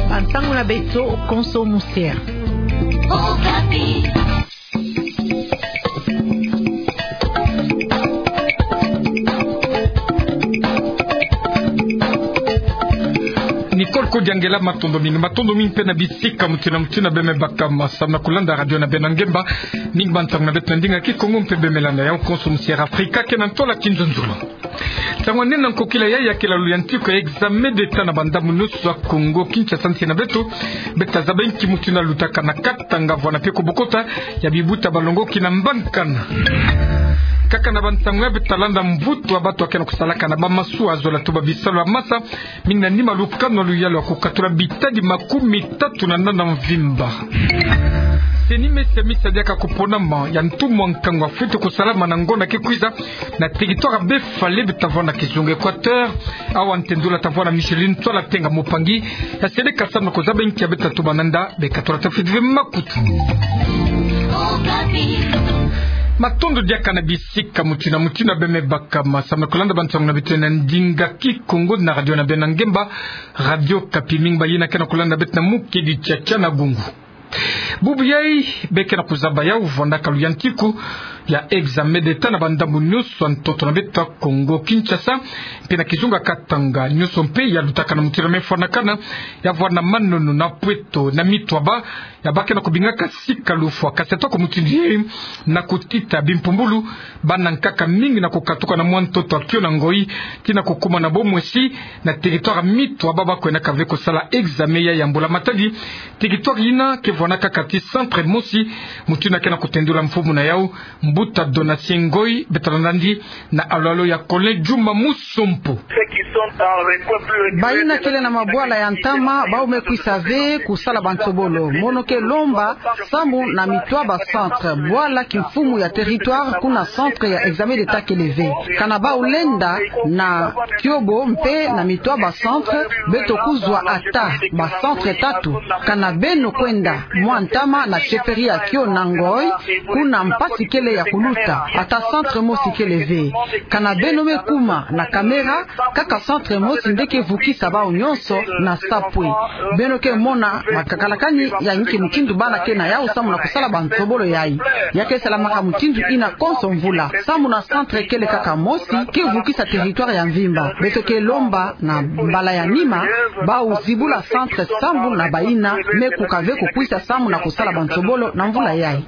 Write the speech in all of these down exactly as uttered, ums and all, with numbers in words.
Bantangu na beto konso musia. Nicole Kodiangela, matondo mingi, matondo mingi mpe na bisika mutina mutina bemebaka ma samu na kulanda radio na beno ngemba. Mingi bantangu na beto na ndinga Kikongo mpe bemelanda yau konso musia Afrika ke na ntola kinzonzolo. Ntangu ya nene na nkokila ya, ya kela luyantiku ya examen d'État na bandambu nyonso ya Kongo Kinshasa, nsi na beto, beto tazaba inki mutindu yalutaka na Katanga, vwanda mpe kubokota ya bibuta balongoki na mbankana. Kaka na bantangu ya, beto talanda mvutu ya bato ya ke na kusalaka na bamasuwa, zola tuba bisalu ya masa, mingi na nima lukanu ya luyalu ya kukatula bitadi makumi tatu na nana mvimba. Seni mesi ya misa diaka kuponama ya ntumwa nkangu ya fwete kusalama na ngonda ke kwiza na territoire ya Befale, beto tavwanda kizunga Equateur. Awa ntendula tavwanda Micheline Twala Tenga, mopangi ya seleka samu na kuzaba inki ya beto tatuba na nda, bekatula tafwete ve makutu. Matondo diaka na bisika mutina mutina bemebaka ma samu na kulanda bantangu na beto na ndinga Kikongo na radio na beno ngemba, Radio Okapi. Mingi bayina ke na kulanda beto na mukedi tiatia na gungu. Bubu yai, beke na kuzaba yau vwandaka luyantiku ya examen d'État na bandambu nyonso ya ntoto na beto ya Kongo Kinshasa, mpe na kizunga Katanga. Nyonso mpe yalutaka na mutindu mefwanakana, ya vwanda Manono, na Pweto, na Mitwaba, ya bake na kubingaka sika lufwa. Kasi atako mutindu yai, na kutita bimpumbulu, bana nkaka mingi na kukatuka na mwa ntoto ya Kio na Ngoyi, tii na kukuma na Bomwesi, na territoire Mitwaba, ba kwendaka ve kusala examen ya, ya mbula-matadi. Territoire yina ke vwandaka kati centre mosi, mutindu yina ke na kutendula mfumu na yau, Mbuta Donatien Ngoyi. Beto talanda yandi na alo-alo ya Colin Juma Musompo. Bayina kele na mabwala ya ntama, bau me kwisa ve kusala bansobolo. Mono ke lomba samu na Mitwaba centre, bwala kimfumu ya territoire kuna centre ya examen d'État kele ve. Kana bau lenda na Kiobo mpe na Mitwaba centre, beto kuzwa ata ba centre tatu. Kana beno kwenda mwa ntama na chefferie ya Kio na Ngoyi, kuna mpasi kele ya kuluta, ata centre mosi kele ve. Kana beno me kuma na caméra, kaka centre mosi nde ke vukisa bau nyonso na sapwe. Beno ke mona makakalakani ya inki mutindu bana ke na yau samu na kusala bansobolo yai. Ya ke salamaka mutindu yina konso mvula. Samu na centre kele kaka mosi ke vukisa territoire ya mvimba. Beto ke lomba na mbala ya nima, bau zibula centre sambu na bayina me kuka ve kukwisa samu na kusala bansobolo na mvula yai.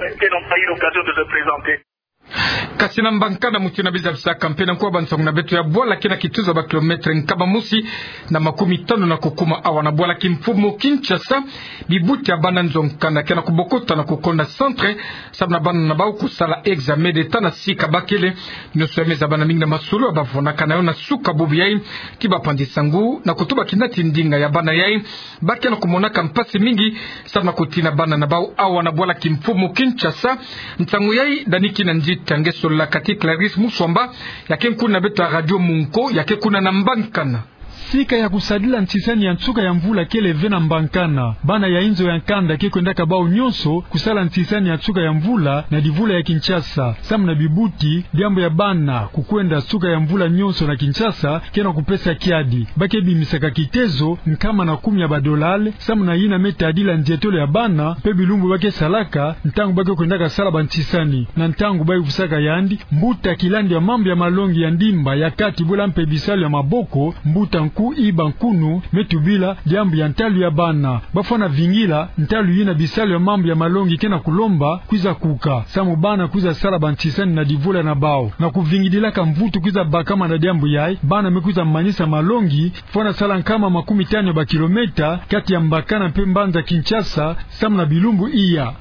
Kasi na mbankana, mutindu na bizabisaka mpe na nkuwa bansangu na beto, ya bwala ke na kituzu ya ba kilomètre nkama mosi na makumi tanu na kukuma awa na bwala kimfumu Kinshasa, bibuti ya bana nzo nkanda ke na kubokota na kukonda centre, samu na bana na bau kusala examen d'État na sika bakele. Nyonso yai me zabana mingi na masolo ya bavonaka na yo na suka bubu yai, ti bapanzi sangu na kutuba kina ti ndinga ya bana yai, ba ke na kumonaka mpasi mingi, samu na kutina bana na bau awa na bwala kimfumu Kinshasa. Nsangu yai, Dani Kinanzi Tange sololaka ti Clarisse Muswamba, ya ke nkuna na beto ya Radio Munko, ya ke kuna na mbankana. Sika ya kusadila ntisani ya nsuka ya mvula kele ve na mbankana. Bana ya inzo ya nkanda ke kwendaka bau nyonso kusala ntisani ya nsuka ya mvula na divula ya Kinshasa. Samu na bibuti, diambu ya bana kukwenda nsuka ya mvula nyonso na Kinshasa ke na kupesa kiadi. Ba ke bimisaka kitezo nkama na kumi ya badolari, samu na yina me tadila nzietolo ya bana, mpe bilumbu ba ke salaka, ntangu ba ke kwendaka sala bantisani. Na ntangu ba yuvusaka yandi, mbuta kilandi ya mambu ya malongi ya ndimba ya kati bula mpe bisalu ya maboko, mbuta Nku Iba Nkunu, me tubila diambu ya ntalu ya bana. Ba fwana vingila ntalu yina bisalu ya mambu ya malongi ke na kulomba kwiza kuka, samu bana kwiza sala bantisani na divula na bau. Na kuvingidilaka mvutu kwiza bakama na diambu yai, bana me kwiza manisa malongi, fwana sala nkama makumi tanu ya bakilomètre kati ya mbankana mpe mbanza Kinshasa, samu na bilumbu iya.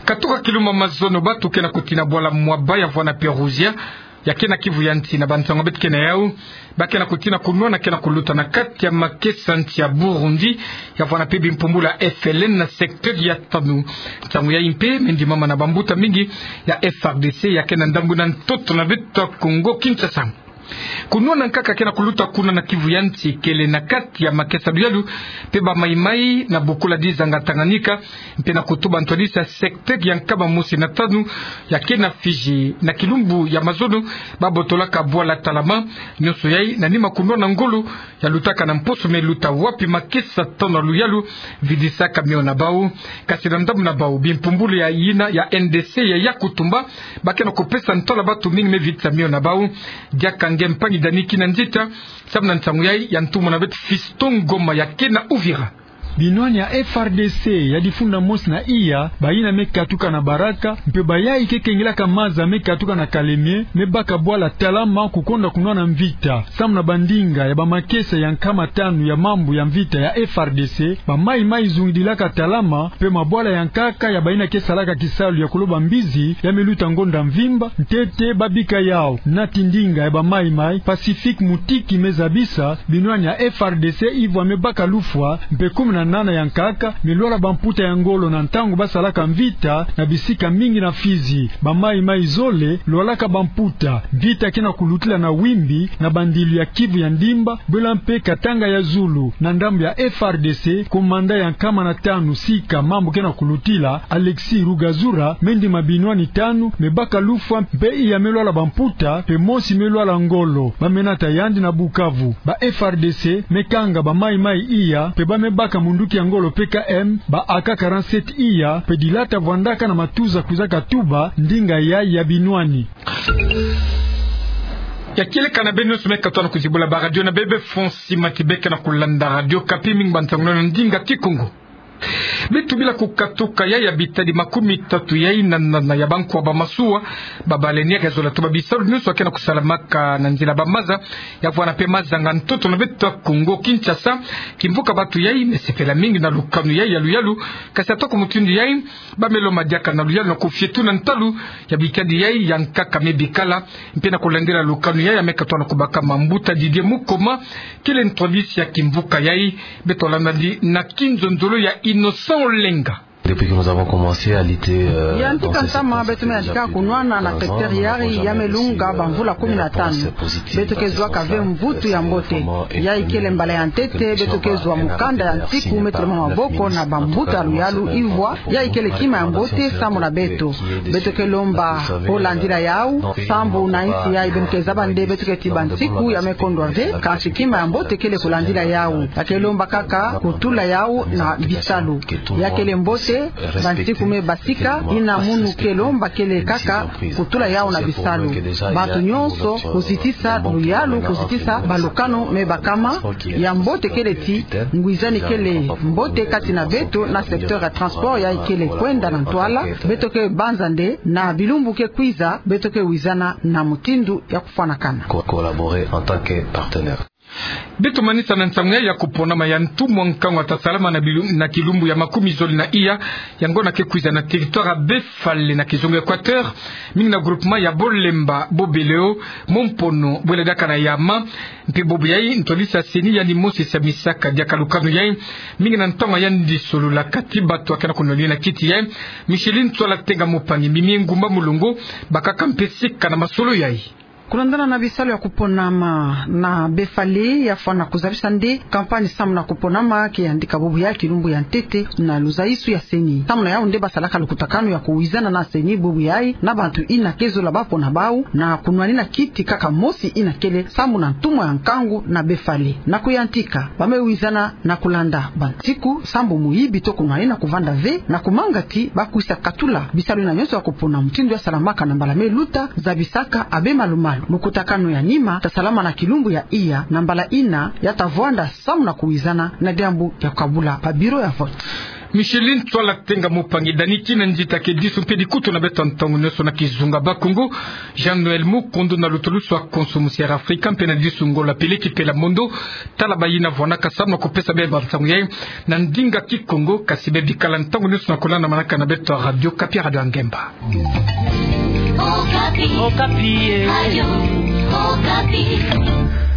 Katuka kilumbu mazono, batu ke na kutina bwala Mwaba ya vwanda Perouzia, ya ke na Kivu ya nsi, na bansangu beto ke na yau, ba ke na kutina kunwana ke na kuluta na kati ya makesa nsi ya Burundi, ya vwanda mpe bimpumbulu ya F L N na secteur ya Tanu. Nsangu yai mpe me ndimama na bambuta mingi ya F R D C, ya ke na ndambu na ntoto na beto ya Kongo Kinshasa. Kunwana nkaka ke na kuluta kuna na Kivu ya nsi kele na kati ya makesa luyalu mpe bamaimai na bokula dizanga Tanganyika, mpe na kutuba ntwadisi ya secteur ya nkama mosi na tanu ya ke na Fidji. Na kilumbu ya mazono, babotolaka bwala Talama, nyonso yai na nima kunwana ngolo ya lutaka na mposo me luta wapi makesa tanu ya luyalu vidisaka mio na bau. Kasi na ndambu na bau, bimpumbulu ya yina ya N D C ya ya kutumba, ba ke na kupesa ntwala batu mingi me vidisa mio na bau. Diaka nge mpangi Dani Kinanzita, samu na nsangu yai ya ntumwa na beto Fiston Ngoma ya ke na Uvira. Binwani ya F R D C ya difunda mosi na iya, bayina me katuka na Baraka, mpe bayai ke kengelaka maza me katuka na Kalemie, me baka bwala Talama kukonda kunwana mvita. Samu na bandinga ya bamakesa ya nkama tanu ya mambu ya mvita ya F R D C, bamaimai zungidilaka Talama, mpe mabwala ya nkaka ya bayina ke salaka kisalu ya kuloba mbizi, ya me luta ngonda mvimba, ntete babika yau. Nati ndinga ya bamaimai, Pacifique Mutiki me zabisa, binwani ya F R D C ivwa me baka lufwa, mpe kumi na nana ya nkaka me lwala bamputa ya ngolo na ntangu basalaka mvita na bisika mingi na Fidji. Bamaimai zole lwalaka bamputa. Mvita ke na kulutila na Wimbi, na bandilu ya Kivu ya Ndimba, bwela mpe Katanga ya zulu. Na ndambu ya F R D C, komanda ya nkama na tanu sika mambu ke na kulutila, Alexis Rugazura, me ndima binwani tanu me baka lufwa, mpe iya me lwala bamputa, mpe mosi me lwala ngolo. Ba me nata yandi na Bukavu. Ba F R D C me kanga bamaimai iya, mpe ba me baka munduki ya ngolo P K M, ba A K quarante-sept iya, mpe dilata vwandaka na matuza kwizaka tuba ndinga yai ya binwani. Ya kieleka na beno nyonso me katono kuzibula ba radio na bebe, Fonsi Matibeke na kulanda Radio Okapi, mingi ba nsangu na ndinga Kikongo. Beto bila kukatuka yai ya bitadi makumi tatu yai na nana ya bankwa ba masuwa, ba baleinière ya zola tuba bisalu nyonso ya ke na kusalamaka na nzila ba maza, ya vwanda mpe mazanga ntoto na beto ya Kongo Kinshasa. Kimvuka batu yai me sepela mingi na lukanu yai ya luyalu, kasi atako mutindu yai, ba me lomba diaka na luyalu na kufietu na ntalu ya bitadi yai ya nkaka me bikala, mpe na kulandila lukanu yai ya me katono kubaka mambuta. Didier Mukoma kele ntwadisi ya kimvuka yai, beto landa yandi na kinzonzolo ya Innocent Olenga. Depuis que nous avons commencé à lutter, euh, dans ce secteur, ça fait déjà plus de quinze ans, nous n'avons jamais vu de résultat positif. Yantika ntama beto me yantika kunwana na secteur yai ya me lunga bamvula kumi na tanu. Beto ke zwaka ve mvutu ya mbote. Yai kele mbala ya ntete beto ke zwa mukanda ya nsiku me tula maboko na bambuta ya luyalu, ivwa yai kele kima ya mbote samu na beto. Beto ke lomba kulandila yau, sambu na nsi yai beno ke zaba nde beto ke ti bansiku ya me kondwa ve, kansi kima ya mbote kele kulandila yau. Ya ke lomba kaka kutula yau na bisalu. Ya kele mbote, bansiku me basika, yina munu ke lomba kele kaka kutula yau na bisalu. Bantu nyonso kuzitisa luyalu, kuzitisa balukanu me bakama. Ya mbote kele ti ngwizani kele mbote kati na beto na secteur ya transport yai kele kwenda na ntwala. Beto ke banza nde na bilumbu ke kwiza, beto ke wizana na mutindu ya kufwanakana. Co-, collaborer en tant que partenaire. Beto manisa na nsangu yai ya kuponama ya ntumwa nkangu ya ta salama na bilu-, na kilumbu ya makumi zole na iya ya ngonda ke kwiza na territoire ya Befale na kizunga Equateur, mingi na groupement ya Bolemba, Bobeleo, Mompono, Bwele diaka na Yama. Mpe bobo yai ntwadisi ya CENI yandi mosi samisaka diaka lukanu yai, mingi na ntangu ya ndisolula kati batu ya ke na kunwanina kiti yai, Micheline Ntsoila Tenga Mopangui, Mimi Ngumba Mulongo, bakaka mpe sika na masolo yai. Kulandana na bisalu ya kuponama na Befale, ya fwana kuzabisa nde campagne samu na kuponama ke yantika bobo yai kilumbu ya ntete na luzayisu ya CENI. Samu na yau nde basalaka lukutakanu ya kuwizana na CENI bobo yai na bantu yina ke zola bapona bau na kunwanina kiti kaka mosi yina kele samu na ntumwa ya nkangu na Befale. Na kuyantika, ba me wizana na kulanda bansiku sambu muyibi to kunwanina kuvanda ve, na kumanga ti ba kwisa katula bisalu yina nyonso ya kupona mutindu ya salamaka na mbala me luta, zabisaka abe malumalu. Lukutakanu ya nima ta salama na kilumbu ya iya na mbala yina ya ta vwanda samu na kuwizana na diambu ya kukabula ba bureau ya vote. Micheline Ntsoila Tenga Mopangui, Dani Kinanzita ke disu mpe dikutu na beto ntangu nyonso na kizunga Bakongo. Jean-Noël Mukundu na lutulusu ya konso musi Air Afrika mpe na disu ngolo ya Peleki Pela Mondo. Tala bayina vwanaka samu na kupesa beno bansangu yai na ndinga Kikongo, kasi beno bikala ntangu nyonso na kulandamanaka na beto Radio Okapi, radio ya ngemba. Okapi. Okapi, eh. Radio Okapi.